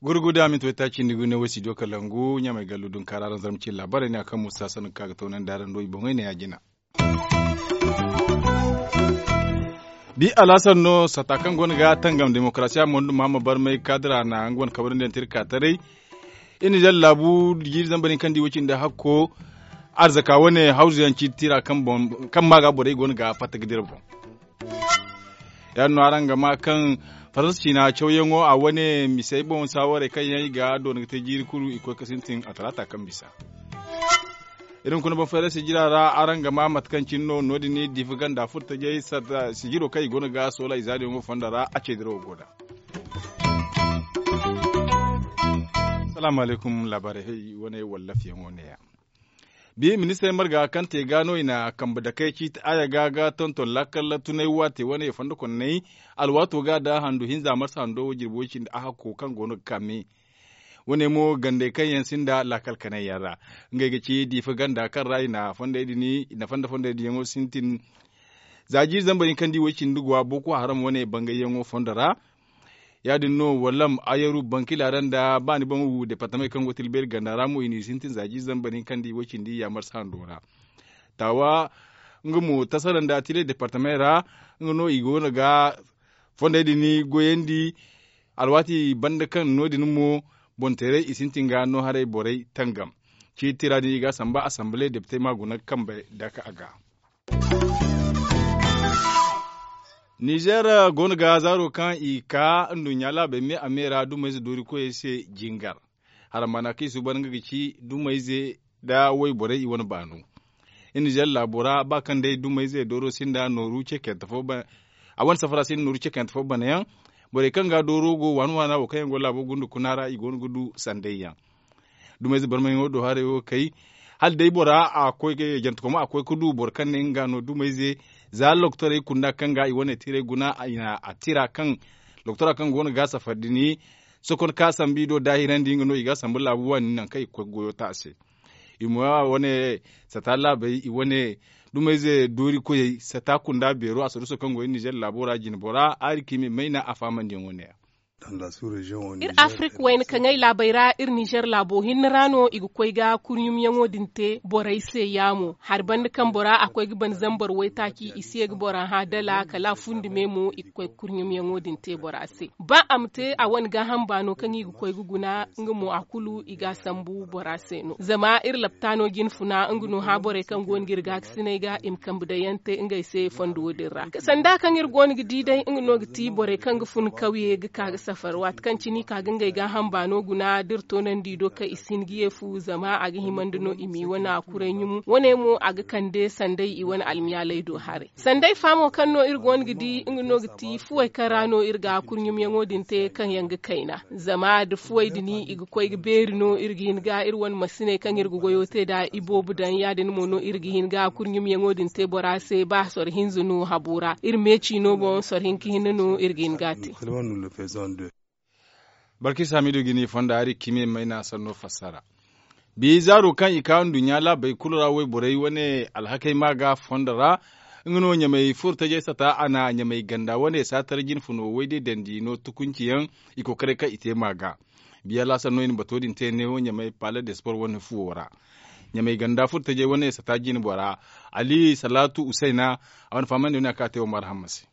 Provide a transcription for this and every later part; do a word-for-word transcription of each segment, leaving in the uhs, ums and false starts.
Gurguda minti waytaaci nda gune wo studio kalangu ɲamay gallu dunkaara araŋ zarma cine laabaarey ne a kaŋ musa sannu kaŋ a ga toonandi araŋ do i boŋey ne ya jina. Bi alhasan no sata kaŋ go no ga tangam demokarasiya mondu mahamma barmay kaadira na nga wane kabarandi yaŋ te iri ka taray. Iri na zalla laabu jiiri zambar hinka nda iwo cindi hakko arzaka wane hawzu yaŋ ciiti tira kaŋ ma ga borey go no ga fatta ga dira boŋ. Ya- din no araŋ ga ma kaŋ faransa ciina cawyaŋo a wane misey boŋ saawarey kaŋ yaŋ i ga doona ga te jiiri kulu i koy ga sintin a talaata kaŋ bisa. Iri hunkuna baŋ fayra sijira ra araŋ ga ma mate kaŋ cine no no- din diifa ganda furtajey sijiro kaŋ i go no ga soola i zaadiyaŋo fondo ra a ce dirawo go nd'a. Salaamu alaykum laabaarey hay wane wallafiyaŋo ne- ya. Bi ministirey marga kaŋ te ga no i na kambe dakey ciiti aya ga ga tonton laakal tunay waate wane fondo konney alwaato ga nda handu hinza marsa hando wo jirbi way cindi a hakko kaŋ go no ga kaame. Wane mo gandey kaŋ yaŋ sinda laakal kanay yaŋ ra ngey ga ci diifa ganda kaŋ ra i na fondey din i na fonda fondey din yaŋo sintin. Za jiiri zambar hinka nda iwo cindi ga wa boko haram wane bangayyaŋo fondo ra. Ya- din no wallam ayaru bankila ra nda ba ni baŋ wu departamey kaŋ go tilbeeri ganda ra mo i n'i sintin za jiiri zambar hinka nda iwo cindi yaamarsa hando ra. Taawa nga mo tasara nda tile departamey ra nga no i go no ga fondey din goyandi. Alwaati banda kaŋ no- din mo boŋ teeray i sintin ga no haray borey tangam. Ciiti tira din i ga a samba asambale depite ma guna kambe daka a ga. Nizer go no ga zaaro kaŋ i ka nduɲɲa laabey me a me ra dumayze doori koyey se jingar. Harambaana kaŋ i suuban nga ga ci dumayze nda wayborey i wane baano. Nizer laabo ra ba kaŋ day dumayze dooro sinda nooru cekante fo a wane safara sinda nooru cekante fo banayaŋ. Borey kaŋ ga dooro go waana waana wo kaŋ yaŋ go laabo gundu kuna ra i go no ga du sanday yaŋ. Dumayze barmayaŋo do haray wo kay hala day bora a koy ga jantakomo a koy ga du boro kaŋ ne nga no dumayze. Za loktorey kunda kaŋ ga i wane tiray guna a tira kaŋ loktora kaŋ go no ga safari din sokon ka sambu i do daahirandi nga no i ga sambu laabu waani nangu kaŋ i ga koy ga goyo ta a se. I ma wane sata laabey i wane dumayze doori koyey sata kunda beero a saruso kaŋ go iri nizer laabo ra jine bora aari ka i ma i mayna a faamandiyaŋo ne ya. Iri afirika wayna kaŋ ay laabey ra iri nizer laabo hinne ra no i ga koy ga kurɲumyaŋo din te borey se yaamo hari banda kaŋ bora a koy ga ban zambar waytaaci i si ye ga bora hã dala kala a fundi me mo i ga koy ga kurɲumyaŋo din te bora se ba a ma te a wane gaaham baano kaŋ i ga koy ga guna nga mo a kulu i ga a sambu bora se no zama iri laptaano jine funa nga no hã borey kaŋ go no ga iri gaakasinay ga i ma kambe daŋ yaŋ te ngey se fondo wo- din ra sanda kaŋ iri go no ga di day nga no ga ti borey kaŋ ga fun kawye ga ka ga safar waati kaŋ cine i ka ga ngey gaaham baano guna da iri toonandi i do kaŋ i si hin ga ye fu zama a ga himandi no i m'i wane a kuray ɲumu wane mo a ga kande sanday i wane almiyaaley do haray sanday faamo kaŋ no iri go no ga di nga no ga ti fuwey kaŋ ra no iri ga kurɲumyaŋo din te kaŋ yaŋ ga kayna zama da fuwey din i ga koy ga beeri no iri ga hin ga iri wane masiney kaŋ iri ga goyo te nd'a iboobo daŋ ya- din mo no iri ga hin ga kurɲumyaŋo din te bora se ba soro hinza no habo ra iri meeci no boŋ soro hinka hinne no iri ga hin ga a te. Balkis hamidu ga ni fonda hari kime mayna sanno fassara. Bi zaaro kaŋ i ka nduɲɲa laabey kulu ra wayborey wane alhakey ma ga fondo ra nga no ɲamey furo tajey sata a na ɲamey ganda wane saatar jine funo wayde dandi no tukunci yaŋ i kokaray kaŋ i te ma ga. Biya laasar no i na bato din te neewo ɲamey pale de sport wane fuwo ra. Ɲamey ganda furo tajey wane sata jine bora ali salaatu usayna a wane fahamandi wane a ka te wo marhamma se.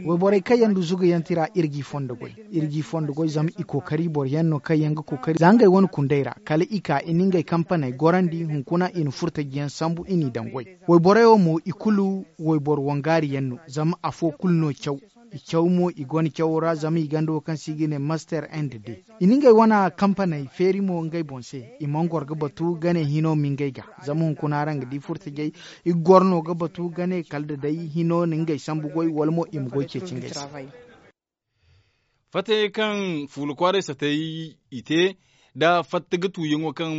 Wayborey kaŋ yaŋ du zugayaŋ tira iri g'i fondo goy iri g'i fondo goy zama i kookari boro yaŋ no kaŋ yaŋ ga kookari za ngey wane kundey ra kala i ka i na ngey kampaney gorandi hunkuna i na furtajiyaŋ sambu i n'i daŋ goy. Wayborey wo mo i kulu wayboro wangaari yaŋ no zama afo kulu no caw. I caw mo i go no cawo ra zama i ganda wo kaŋ se i ga ne master end day i na ngey wane kampaney feeri mo ngey boŋ se. I mana goro ga batu gane hino ma ngey ga zama hunkuna araŋ ga di furtajey i ga goro no ga batu gane kala da day hino na ngey sambu goy wala mo i ma goy ceeci ngey se. Fattayey kaŋ fuula kwaaray satay i te nda fatta ga tuuyaŋo kaŋ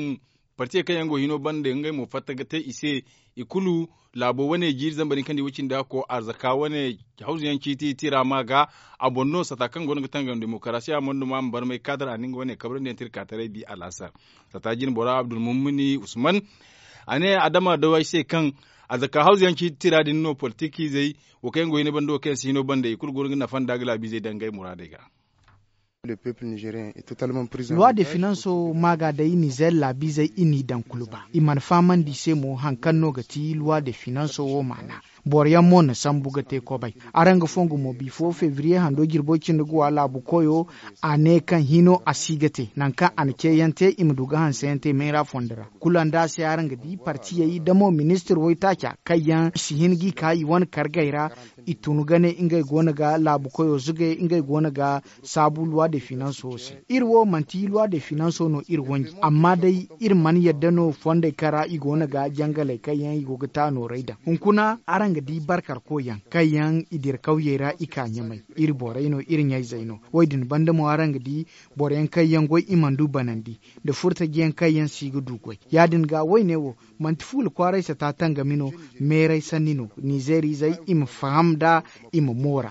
partiyey kaŋ yaŋ go hino banda ngey mo fatta ga te i se. i kulu laabo wane jiiri zambar hinka nda i way cindi a ko arzaka wane hawzu yaŋ ciiti tira ma ga. A boŋ no sata kaŋ go no ga tangam demokarasiya mondo ma a ma barmay kaadar a na nga wane kabrandi yaŋ tirka taray bi alaasar sata jine bora abdulmumuni usman. A ne adama daway se kaŋ arzaka hawzu yaŋ ciiti tira din no politik izey wo kaŋ yaŋ go hina banda wo kaŋ yaŋ si hino banda i kulu go no ga nafa nda ga laabiizey dangay muraadey ga. Luwa de finanso maaga day nizer laabiizey i n'i daŋ kulu ba i mana fahamandi i se mo hari kaŋ no ga ti luwa de finanso wo maana. Boro yaŋ mo na sambu ga te kobay. Araŋ ga fongu mo bifo febriye hando jirbo cindi ga wa laabu koyo. A ne kaŋ hino a si ga te nangu kaŋ a na ce yaŋ te i ma du ga hanse yaŋ te meera fondo ra. Kulu nda a se araŋ ga di partiyey da mo ministir waytaaca kaŋ yaŋ si hin ga i ka i wane kargey ra. I tun ga ne ngey go no ga laabu koyo zugay ngey go no ga saabu luwa de finanso se. Iri wo manti luwa de finanso no iri wanji amma day iri mana yadda no fondey kaŋ ra i go no ga jangaley kaŋ yaŋ i go ga ta nooray daŋ hunkuna araŋ ga di barkarkoy yaŋ kaŋ yaŋ i dira kawyey ra i ka ɲamay. Iri borey no iri ɲayzey no. Wo- din banda mo araŋ ga di boro yaŋ kaŋ yaŋ goy i mana du banandi nda furtaji yaŋ kaŋ yaŋ si ga du goy. Ya- din ga wayne wo manti fuula kwaaray sata tangami no. Meeray sanni no nizeer izey i ma faham nd'a i ma moora.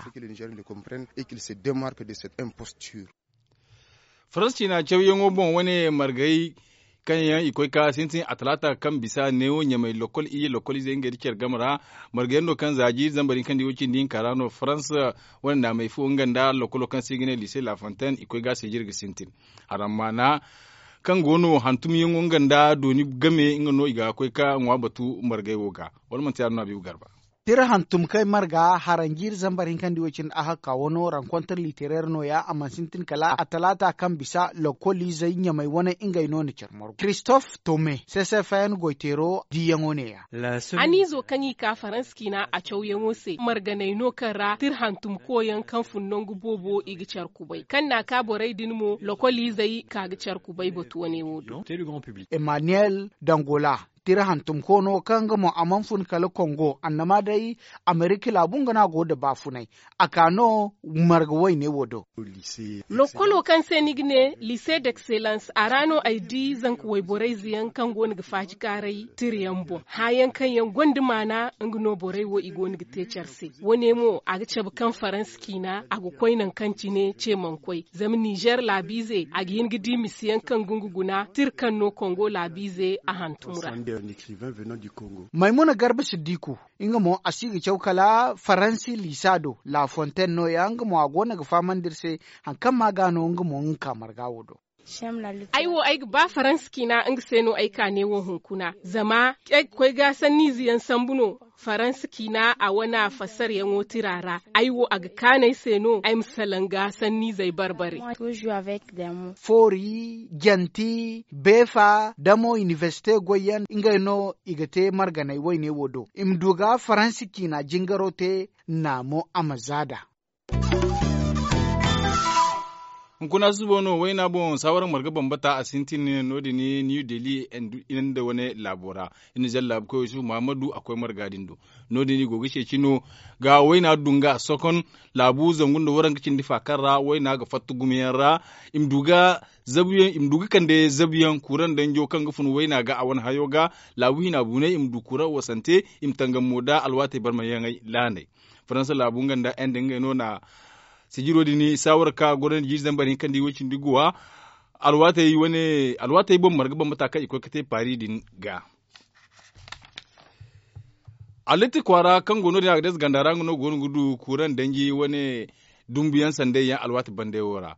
Faransi ciina cawyaŋo boŋ wane margay kaŋ yaŋ i koy ka sintin a talaata kaŋ bisa neewo ɲamay lokol iyye lokol izey ngey nda care game ra. Margay yaŋ no kaŋ za jiiri zambar hinka nda i wo cindi hinka ra no faransa wane naamay fo nga nda lokolo kaŋ se i ga ne lise lafontaine i koy ga a se jire ga sintin. Haram maana kaŋ go no hantumyaŋo nga nda dooni game nga no i ga koy ka ŋwa batu margay wo ga wala manti yaadin no a biibu garba. Tira hantum kay marga haranjiiri zambar hinkandi wo cine a hakka wano rankontar literer nooya a mana sintin kala a talaata kaŋ bisa lokoliizey ɲamey wane ngey no na care margu christophe tome sesefayan goyteero diiyaŋo neeya. Haniizo kaŋ i ka faransa ciina a cawyaŋo se marganey no kaŋ ra tira hantum koyaŋ kaŋ fun nangu boobo i ga care kubay kaŋ n'a ka borey din mo lokoliizey ka ga care kubay batu wane wo do. Emmanuel dangola tira hantumko no kaŋ nga mo a mana fun kala kongo annama day amerika laabu nga no a go nda baafunay. A ka no marga wayne wo do. Lokolo kaŋ se ni ga ne lise d'excellence a ra no ay di zanka wayborayze yaŋ kaŋ go no ga faajikaaray tira yaŋ boŋ hããyaŋ kaŋ yaŋ gonda maana nga no borey wo i go no ga te care se. Wane mo a ga cabe kaŋ faransa ciina a ga koy nangu kaŋ cine ce mana koy zama nizer laabiize a ga hin ga di misiyaŋ kaŋ ga nga guna tira kaŋ no kongo laabiize a hantum ra. Maymuna garba siddiku nga mo a si ga caw kala faransi liisa do lafontaine nooya nga mo a go no ga fahamandi iri se. Hari kaŋ ma ga no nga mo nga ka marga wo do. Ay wo ay ga ba faransa ciina nga se no ay ka ne wo hunkuna zama ay ga koy ga sanniize yaŋ sambu no. Faransa ciina a wane fassaryaŋo tira ra ay wo a ga kaanu ay se no ay ma salaŋ ga sanniizey barbare. Foori janti beefa da mo inibersite goyyaŋ ngey no i ga te marganey wayne wo do i ma du ga faransa ciina jingaro te. Naamo a ma za nd'a. Hunkuna susubo no wayna boŋ saawara marga bambata a sintin no- din new delhi nda wane laabo ra. Iri na zalla laabu koy yusuf muhammadu a koy marga din do. No- din i go ga ceeci no ga wayna dunga sokon laabu zangu nda waranka cindi fa kaŋ ra wayna ga fatta gumo yaŋ ra. I ma du ga kande zabu yaŋ kuuraŋ danjo kaŋ ga fun wayna ga a wane hayo ga. Laabu hina buunay i ma du kuuraŋ wasante i ma tangam mo nda alwaatey barmayaŋey laaney. Faransa laabu nga nda ende ngey no na sijiro din saawara ka gorandi jiiri zambar hinka nda i way cindi guwa. Alwaatey boŋ marga bambata kaŋ i koy ga te paari din ga. Allitti kwaara kaŋ go no- din a ga deesa ganda ra nga no go no ga du kuuraŋ danji wane dumbuyaŋ sanday yaŋ alwaati bandey wo ra.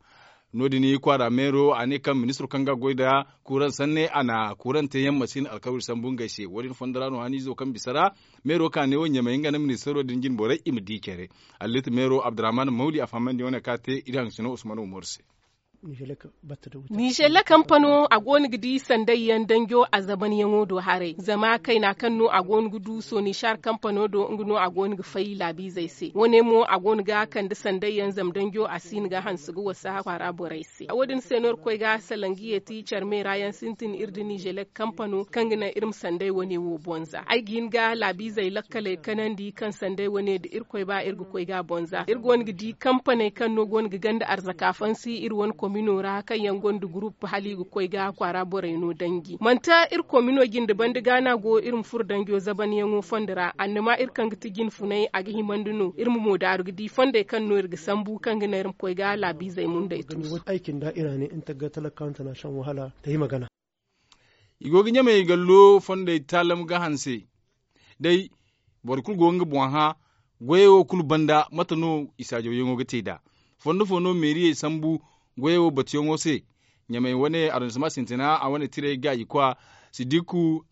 No- din kwaara meero a ne kaŋ ministiro kaŋ ga goy nda kuuraŋ sanne a na kuuraŋ teeyaŋ masin alkawari sambu ngey se wo- din fondo ra no haniizo kaŋ bisa ra. Meero ka ne wo ɲamay nga nda ministiro din jine borey i ma di care. Allitti meero abdurrahman mawli a fahamandi wane kaŋ a te iri hangasino usman umaru se. Nizeer kampano a go no ga di sanday yaŋ danjo a zabanyaŋo do haray zama kayna kaŋ no a go no ga du sonishar kampano do nga no a go no ga fay laabiizey se wane mo a go no ga kande sanday yaŋ zama danjo a si hin ga hanse ga wasa kwaara borey se. Wo- din se no iri koy ga salaŋ ga yeeti care meera yaŋ sintin iri nda nizeer kampano kaŋ ga naŋ iri ma sanday wane wo bonza ay ga hin ga laabiizey lakkaley kanandi kaŋ sanday wane nda irkoy ba iri ga koy ga bonza iri go no ga di kampaney kaŋ no go no ga ganda arzaka fansi iri wane Mino ra kaŋ yaŋ gonda gurup hala i ga koy ga kwaara borey no danji manti iri komino jinde banda ga no a go iri ma furo danjo zabanyaŋo fondo ra annama iri kaŋ ga ti jinfunay a ga himandi no iri ma moodaaru ga di fondey kaŋ no iri ga sambu kaŋ ga naŋ iri ma koy ga laabiizey mundey tuusu. Ay cindi a ira ne nta ga talakanta na shan wahala ta hima gana. I go ga ɲamey gallo fondey taalam ga hanse day boro kulu go ga nga boŋ hã. Goyey wo kulu banda mate no i saajawyaŋo ga te nd'a? Fondo fo no meeriyey sambu goyey wo batuyaŋo se? Ɲamey wane arrondissement sintina a wane tirey gaaji kwa sidiku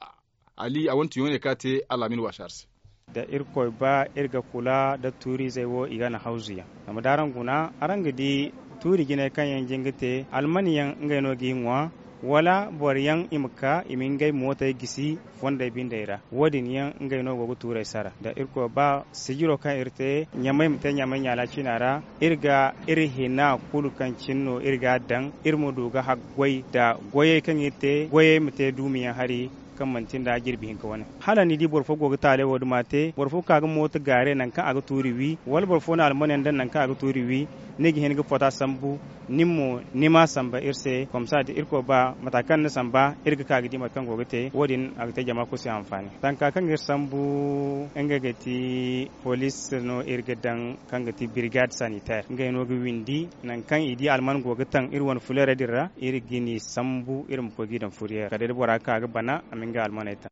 ali a wane tuyaŋo ne kaŋ a te al'amin waasi hari se. Da irkoy ba iri ga kula da tuuriizey wo i ga na hawzu yaŋ. Zama da araŋ guna araŋ ga di tuuri jinay kaŋ yaŋ jin ga te alman yaŋ ngey no g'i ŋwa wala boro yaŋ i ma ka i ma ngey mootey gisi fondey bindey ra. Wo- din yaŋ ngey no go ga tuurey sara da irkoy ba sijiro kaŋ iri te ɲamay ma te ɲamay ɲaala ciina ra. Iri ga iri hina kulu kaŋ cine no iri ga a daŋ iri ma du ga haggoy nda goyey kaŋ iri te goyey ma te duumi yaŋ hari kaŋ manti nda jirbi hinka wane. Hala ni di boro fo go ga taaley wo duma te boro fo ka ga mooto gaare nangu kaŋ a ga tuuri wi wala boro fo na almaniyaŋ daŋ nangu kaŋ a ga tuuri wi ni ga hin ga fota sambu. Nin mo ni ma samba iri se komsa da irkoy ba mata kaŋ ni samba iri ga ka ga di mate kaŋ go ga te wo- din a ga te jama kulu se anfaani tanka kaŋ iri sambu nga ga ti police no iri ga daŋ kaŋ ga ti birigad sanitaire ngey no ga windi nangu kaŋ i di alman go ga taŋ iri wane fuleerey din ra iri ga ni sambu iri ma koy g'i daŋ furyeer kala day da bora ga ka ga bana a ma nga almaney taŋ.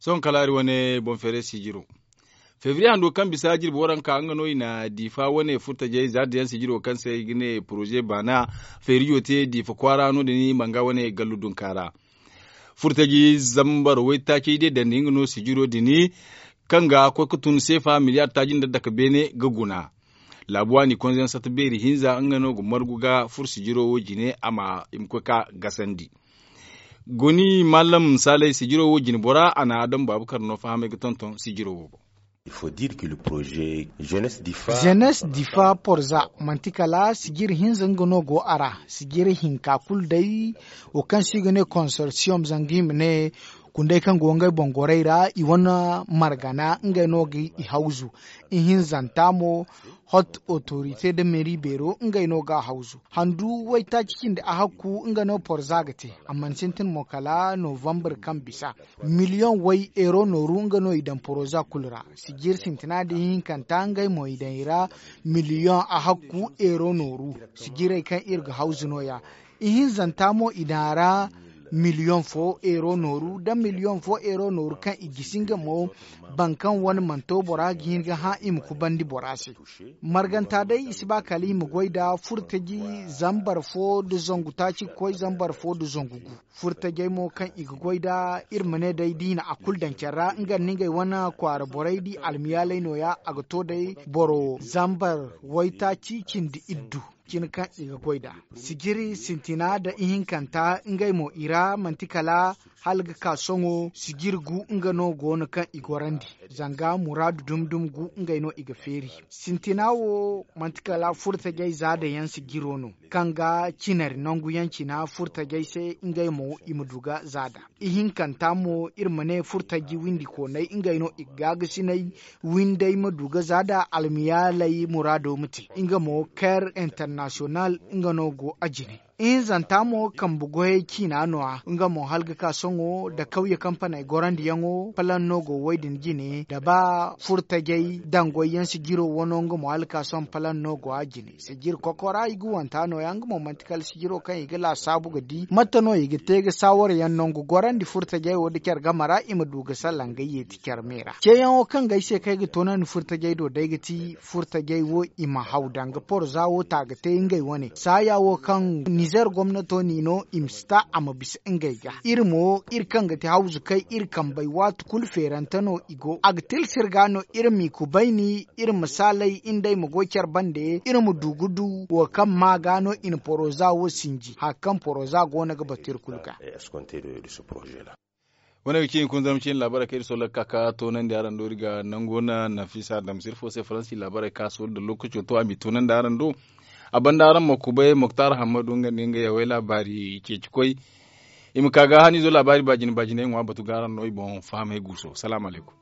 Sohõ kala iri wane boŋ feeray sijiro febriye hando kaŋ bisa jirbi waranka nga no i na diifa wane furtajey za da yaŋ sijiro kaŋ se i ga ne poroze baana feerijo te diifa kwaara no- din i ma nga wane gallu dunka ra. Furtaji zambar waytaacey day dandi nga no sijiro din kaŋ ga koy ga tun seefa miliyar taaji nda dake beene ga guna. Laabu waani konzeyaŋ satta beeri hinza nga no ga margu ga furo sijiro wo jine a ma i ma koy ga gasandi. Goni mallam saalay sijiro wo jine bora a na adam baabakar no fahamay ga tonton sijiro wo boŋ. Jenes difa porza manti kala sijiri hinza nga no go a ra. Sijiri hinka kulu day wo kaŋ se i ga ne konsorsiyom zanga i ma ne kunday kaŋ go ngey boŋ gorey ra i wane margana ngey no ga i hawzu. Ihinzanta mo hot otorite nda meeri beero ngey no ga a hawzu. Handu waytaaci cindi a hakku nga no porza ga te. A mana sintin mo kala novambar kaŋ bisa miliyoŋ way eero nooru nga no i daŋ poroza kulu ra. Sijir sintina nda ihinkanta ngey mo i daŋ i ra miliyoŋ a hakku eero nooru. Sijirey kaŋ iri ga hawzu no- ya. Ihinzanta mo i daŋ a ra miliyoŋ fo eero nooru da miliyoŋ fo eero nooru kaŋ i gisi nga mo. Boro kaŋ wane mana to bora ga hin ga hã i ma kubandi bora se. Marganta day i si ba kala i ma goy nda furtaji zambar fo nda zangu taaci ga koy zambar fo nda zangu gu. Furtajey mo kaŋ i ga goy nda iri ma ne day da i na a kulu daŋ care ra nga nda ngey wane kwaara borey da i almiyaaley no- ya a ga to day boro zambar waytaaci cindi iddu. Cine kaŋ i ga goy nd'a sijiri sintina nda ihinkanta ngey mo i ra manti kala hala ga ka sohõ sijiri gu nga no go no kaŋ i gorandi. Zanga muraadu dumi dumi gu ngey no i ga feeri. Sintina wo manti kala furtajey za daŋ yaŋ sijiro no kaŋ ga cinari nangu yaŋ cina furtajey se ngey mo i ma du ga za daŋ. Ihinkanta mo iri ma ne furtaji windi koonay ngey no i ga gaagasinay windey ma du ga za da almiyaaley muraado ma te nga mo ker international nga no go a jine. Ihinzanta mo kambe goyey ciina no- ya nga mo hala ga ka sohõ da kawye kampaney gorandiyaŋo palan no go wo- din jine da ba furtajey dangoy yaŋ sijiro wano nga mo hala ga ka sohõ palan no go a jine. Sijiri kokora i ga wanta no- ya nga mo manti kala sijiro kaŋ i ga laasaabu ga di mate no i ga te ga saawara yaŋ nangu gorandi furtajey wo da care game ra i ma du ga salaŋ ga yeeti care me ra ceeyaŋo kaŋ ga ay se kaŋ ay ga toonandi furtajey do day ga ti furtajey wo i ma haw danga porza wo ta ga te ngey wane saaya wo kaŋ nizer gomnato n'i no i ma si ta a ma bisa ngey ga iri mo iri kaŋ ga ti hawzukey iri kambey waati kulu feerante no i go a ga tilsir ga no iri m'i kubayni iri ma saalay nd'ey ma goy care bande iri ma du ga du wo kaŋ ma ga no i na poroza wo sinji hari kaŋ poroza go no ga batu iri kulu ga. Wane ga ci hunkuna zarma ciine laabaarey kaŋ iri solla ga ka ga toonandi araŋ do iri ga nango na nafisa damsir fo se faransi laabaarey kaŋ a solla da lookaco to a m'i toonandi araŋ do. A banda araŋ ma kubay moktar hammadu nga nda nga yawey laabaari ceeci koy. I ma ka ga haniizo laabaari baajine baajiney ŋwa batu ga araŋ no i boŋ fahamey guuso salaamu alaykum.